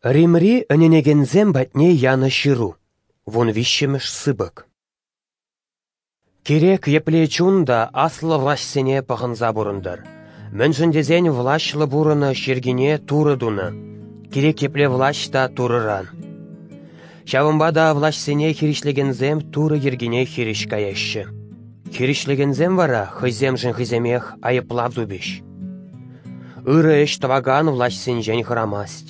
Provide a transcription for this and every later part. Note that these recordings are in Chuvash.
Римри ӗненекенсем патне янӑ ҫыру, вунвиҫҫӗмӗш сыпӑк. Кирек епле чун та аслӑ влаҫсене пӑхӑнса пурӑнтӑр, мӗншӗн тесен влаҫлӑ пурӑнӑҫ йӗркине Турӑ тунӑ, кирек епле влаҫ та Турӑран. Ҫавӑнпа та влаҫсене хирӗҫлекенсем Турӑ йӗркине хирӗҫ каяҫҫӗ. Хирӗҫлекенсем вара хӑйсемшӗн хӑйсемех айӑплав тупӗҫ. Ырӑ ӗҫ тӑвакан влаҫсенчен хӑрамасть,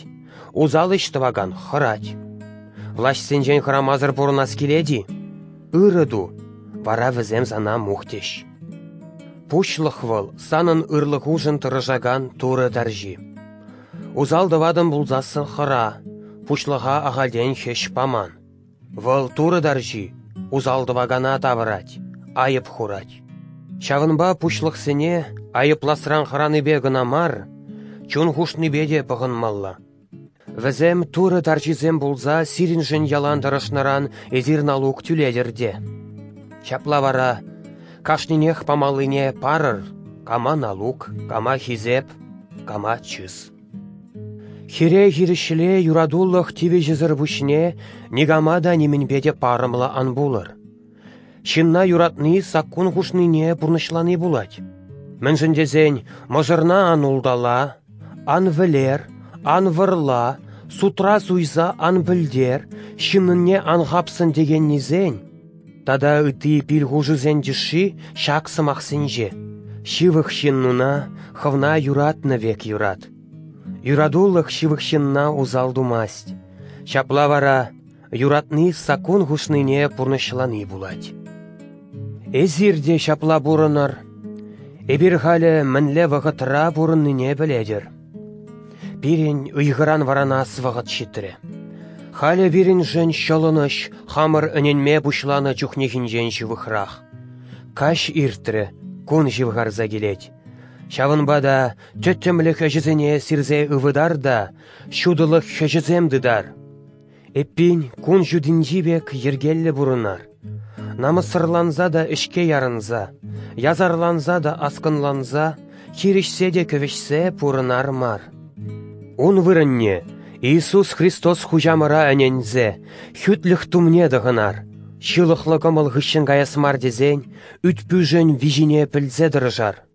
усал ӗҫ тӑвакан хӑрать. Влаҫсенчен хӑрамасӑр пурӑнас килет-и? Ырӑ ту, вара вӗсем сана мухтӗҫ. Пуҫлӑх вӑл санӑн ырлӑхушӑн тӑрӑшакан Турӑ тарҫи. Усал тӑватӑн пулсассӑн хӑра, пуҫлӑха ахальтен хӗҫ паман. Вӑл Турӑ тарҫи, усал тӑвакана тавӑрать, айӑп хурать. Ҫавӑнпа пуҫлӑхсене айӑпласран хӑранипе кӑна мар, чун хушнипе те пӑхӑнмалла. Вӗсем Турӑ тарҫисем пулса сирӗншӗн ялан тӑрӑшнӑран эсир налук тӳлетӗр те. Ҫапла вара кашнинех памаллине парӑр, кама налук, кама хисеп, кама чыс. Хире-хирӗҫле юратулӑх тивӗҫӗсӗр пуҫне никама та нимӗнпе те парӑмлӑ ан пулӑр. Ҫынна юратни саккун хушнине пурнӑҫлани пулать. Мӗншӗн тесен мӑшӑрна ан ултала, ан вӗлер, ан вӑрла, сутра суйса ан пӗлтер, ҫыннӑнне ан хапсӑн текеннисен тата ытти пил-хушусен тӗшши ҫак сӑмахсенче: ҫывӑх ҫыннуна хӑвна юратнӑ пек юрат. Юратулӑх ҫывӑх ҫынна усал тумасть. Ҫапла вара юратни саккун хушнине пурнӑҫлани пулать. Эсир те ҫапла пурӑнӑр. Эпир халӗ мӗнле вӑхӑтра пурӑннине пӗлетӗр. Пирӗн ыйхӑран вӑранас вӑхӑт ҫитрӗ. Халӗ пирӗншӗн ҫӑлӑнӑҫ хамӑр ӗненме пуҫланӑ чухнехинчен ҫывӑхрах. Каҫ иртрӗ, кун ҫывхарса килет. Ҫавӑнпа та тӗттӗмлӗх ӗҫӗсене сирсе ывӑтар та ҫутӑлӑх хӗҫӗсем тытар. Эппин, кун ҫутинчи пек йӗркеллӗ пурӑнар. Намӑссӑрланса та ӗҫке ярӑнса, ясарланса та аскӑнланса, хирӗҫсе те кӗвӗҫсе пурӑнар мар. Ун вырӑнне Иисус Христос Хуҫамӑра ӗненсе хӳтлӗх тумне тӑхӑнар, ҫылӑхлӑ кӑмӑл хыҫҫӑн каяс мар тесен ӳт-пӳшӗн виҫине пӗлсе тӑрӑшар.